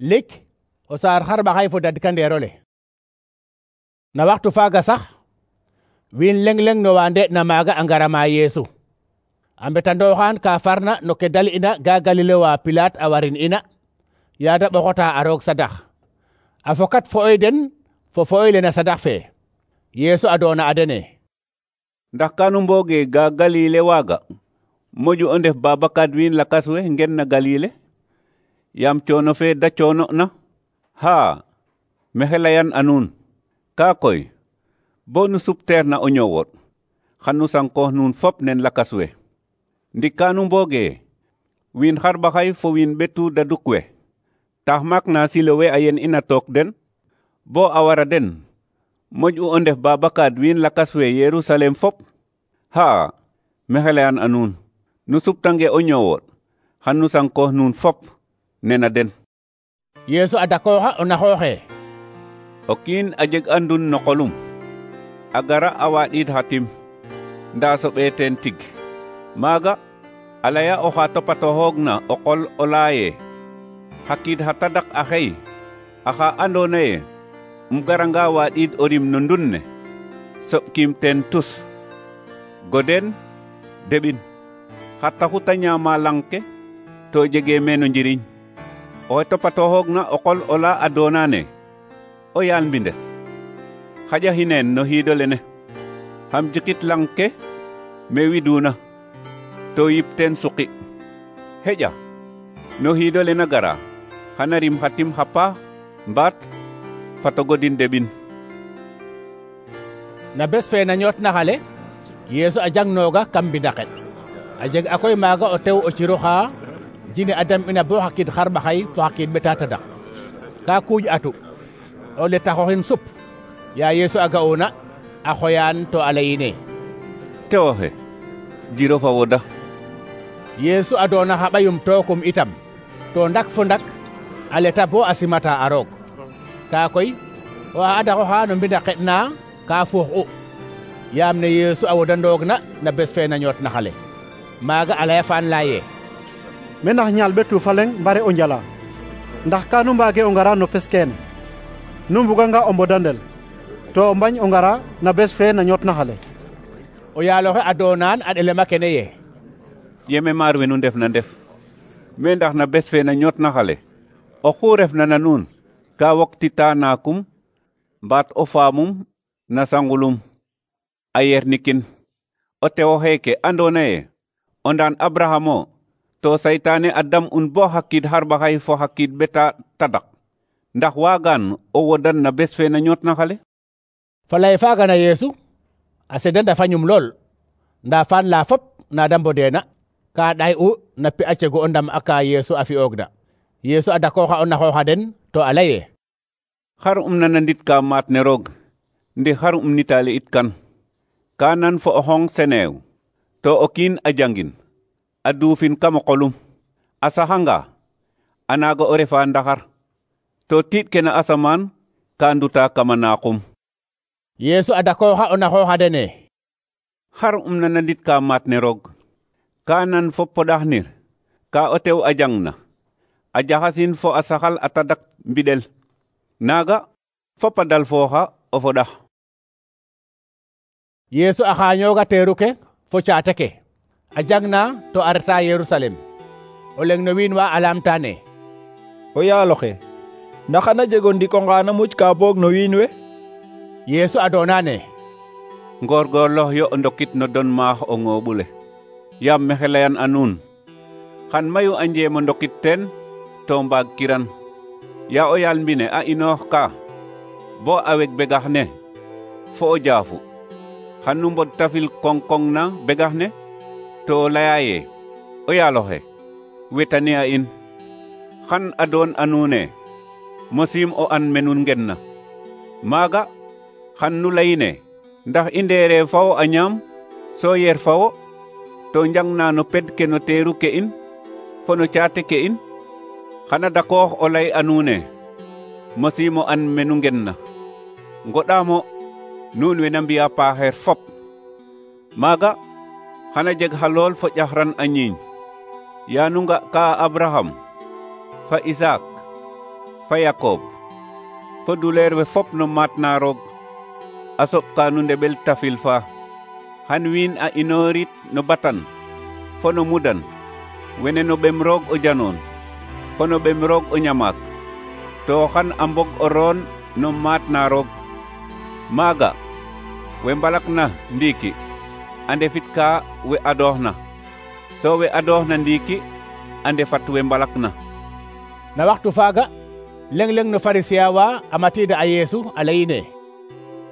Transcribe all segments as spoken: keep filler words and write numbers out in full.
lik o saar xarɓaxay fo dadkandeerole. Na waxtu faaga sax wiin leng leng no wa nde'na maaga a ngara ma Yeesu a mbetandooxaan ka farna no ke dal'ina ga Galile wa Pilaat a warin ina yaada ɓoxota a roog sadax a fokat fo'oy den fo fo'oy le na sadax fe. Yeesu a doona a dene: ndax kanu mbooge ga Galile waaga moƴu o ndef babakaat wiin lakas we ngen na Galile yaam coono fe da coono na? haa mexe layan a nuun ka koy bo nu supteer na o ñoowooɗ xan nu sankoox nuun fop nen lakas we. Ndik kanu mbooge wiin xarɓaxay fo wiin ɓetu daduk we tax maak na Silowe a yen ina took den bo a wara den moƴ'u o ndef babakaat wiin lakas we Yerusalem fop? haa mexe layan a nuun nu suptange o ñoowooɗ xan nu sankoox nuun fop nena den. Yeesu a dakooxa o naxooxe: o kiin a jeg andun no qolum a gara a waaɗiid xa tim ndaa soɓee teen tig. maaga a laya oxa topatoxoogna o qol o laye xa kiid xa tadak a xey axa andoona ye um garanga waaɗiid o rim no ndun ne soɓkiim teen tus. goden deɓin xa taxu ta ñaama lang ke to jegee meeno njiriñ. oxe topatoxoogna o qol o la a doona ne o yaal mbindes xaƴa xineen no xiido lene xam jikit lang ke me widuna to yip teen suqi. xeƴa no xiido lena gara xana rim xa tim xa paax mbaat fato godin deɓin. Na bes fe na ñoot na xale Yeesu a jangnooga kam mbindaxet a jeg a koy maaga o tew o ciroxa jine a dam'ina bo xa kiid xarɓaxay fo xa kiid ɓeta tadak ka kuuƴ atu o le taxoxin sup. Ya Yeesu a ga'una a xoyaan to a layine: tewoxe jiro fa woda. Yeesu a doona xa ɓayum tookum itam to ndak fo ndak a leta bo a simata a roog. ka koy o a adaxoxa no mbindaxet na ka fuux u yaam ne Yeesu a wodandoogna na bes fe na ñoot na xale. maaga a laya faan laye: me ndax ñaal ɓetu fa leŋ mbare o njala ndax kanu mbaage o ngara no pes kene nu mbuganga o mbodandel to o mbañ o ngara na bes fe na ñoot na xale. o yaaloxe a doonaan a ɗelema kene ye: yeme maar we nu ndef na ndef me ndax na bes fe na ñoot na xale oxu refna na nuun ka woktita naakum mbaat o faamum na sangulum a yernikin o tewo xeeke andoona ye o ndaan Abrahamo to saytaane a dam'un bo xa kiid xarɓaxay fo xa kiid ɓeta tadak ndax waagaan o wodan na bes fe na ñoot na xale. fa lay faaga na Yeesu a sedanda fañum lool ndaa faan la fop na da mbodeena ka ɗay'u na pi a cegu o ndam aka Yeesu a fi'oogna. Yeesu a dakooxa o naxooxa den to a laye: xar um nanandit ka maat ne roog ndi xar um nitaale it kan ka nan fo o xong seneew to o kiin a jangin a duufin kam o qolum a saxanga a naaga o refa ndaxar to tiiɗ ke na asamaan ka nduta kama naaxum. Yeesu a dakooxa o naxooxa dene: xar um nanandit ka maat ne roog ka nan fo poɗaxnir ka o tew a jangna a jaxasin fo a saxal a tadak mbiɗel naaga fop a dal fooxa o foɗax. Yeesu a xaañooga teeru ke fo caate ke a jangna to a reta Yerusalem o leng no wiin wa a laamtaane: o yaaloxe ndax xana jeg o ndik onqa na muc ka boog no wiin we? Yeesu a doonane: ngoorgoorloox yo o ndokit no don maax o ngooɓule yaam mexe layan a nuun xan mayu a njeem o ndokit teen to mbaag kiran. ya o yaal mbine a inoox ka bo a weg begax ne fo o jaafu xan nu mbod tafil kong-kong na begax ne to laya ye o yaaloxe wetane a in xan a doon a nuune mosiim o an me nun ngen na. maaga xan nu layine ndax i ndeere fawo a ñaam so yer fawo to njang na no ped ke no teeru ke in fo no caate ke in. xana dakoox o lay a nuune mosiim o an me nu ngen na. ngoɗaamo nuun we na mbi'a paaxeer fop. maaga xana jeg xa lool fo ƴaxran a ñiiñ ya nu nga ka Abraham fa Isaak fa Yakob fo duleer we fop no maat na roog a soɓ ka nu ndeɓel tafil fa xan wiin a inoorit no batan fo no mudan wene no ɓem roog o janoon fo no ɓem roog o ñamaak to xan a mbog o roon no maat na roog maaga we mbalak na ndiiki a ndefit ka we adoox na so we adoox na ndiiki a ndefat we mbalak na. Na waxtu faaga leng-leng no Pharisien wa a matiida a Yeesu a leyine: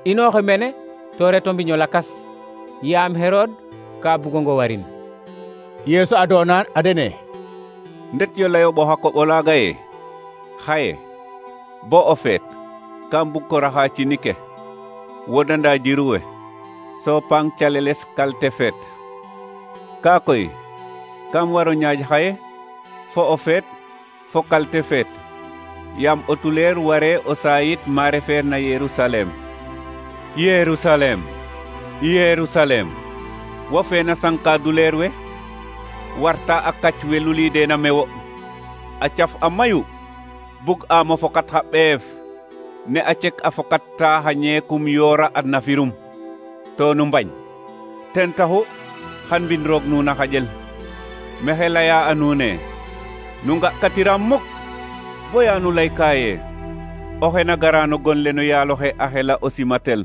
inooxe mene to reto mbiño lakas yaam Herod ka bugongo warin. Yeesu adoona a dene: ndet yo layoɓo xa koɓo laaga ye xaye bo o feet kam bug ko raxa cini ke wodanda jiru we so pang caleles kalte feet ka koy kam waro ñaaj xaye fo o feet fo kalte feet yaam o tuleer ware o sayit ma refeer na Yerusalem. Yerusalem, Yerusalem, wo fe na sanka duleer we warta a kac we lulideena mewo a caf a mayu bug am o fokat xa ɓeef ne a cek a fokat ta xa ñeekum yoora adna firum to nu mbañ ten taxu xan mbin roog nuuna xaƴel maxey leya a nuune nu nga katiram muk boya nu leyka ye oxe na gara no gon le no yaaloxe a xela o simatel.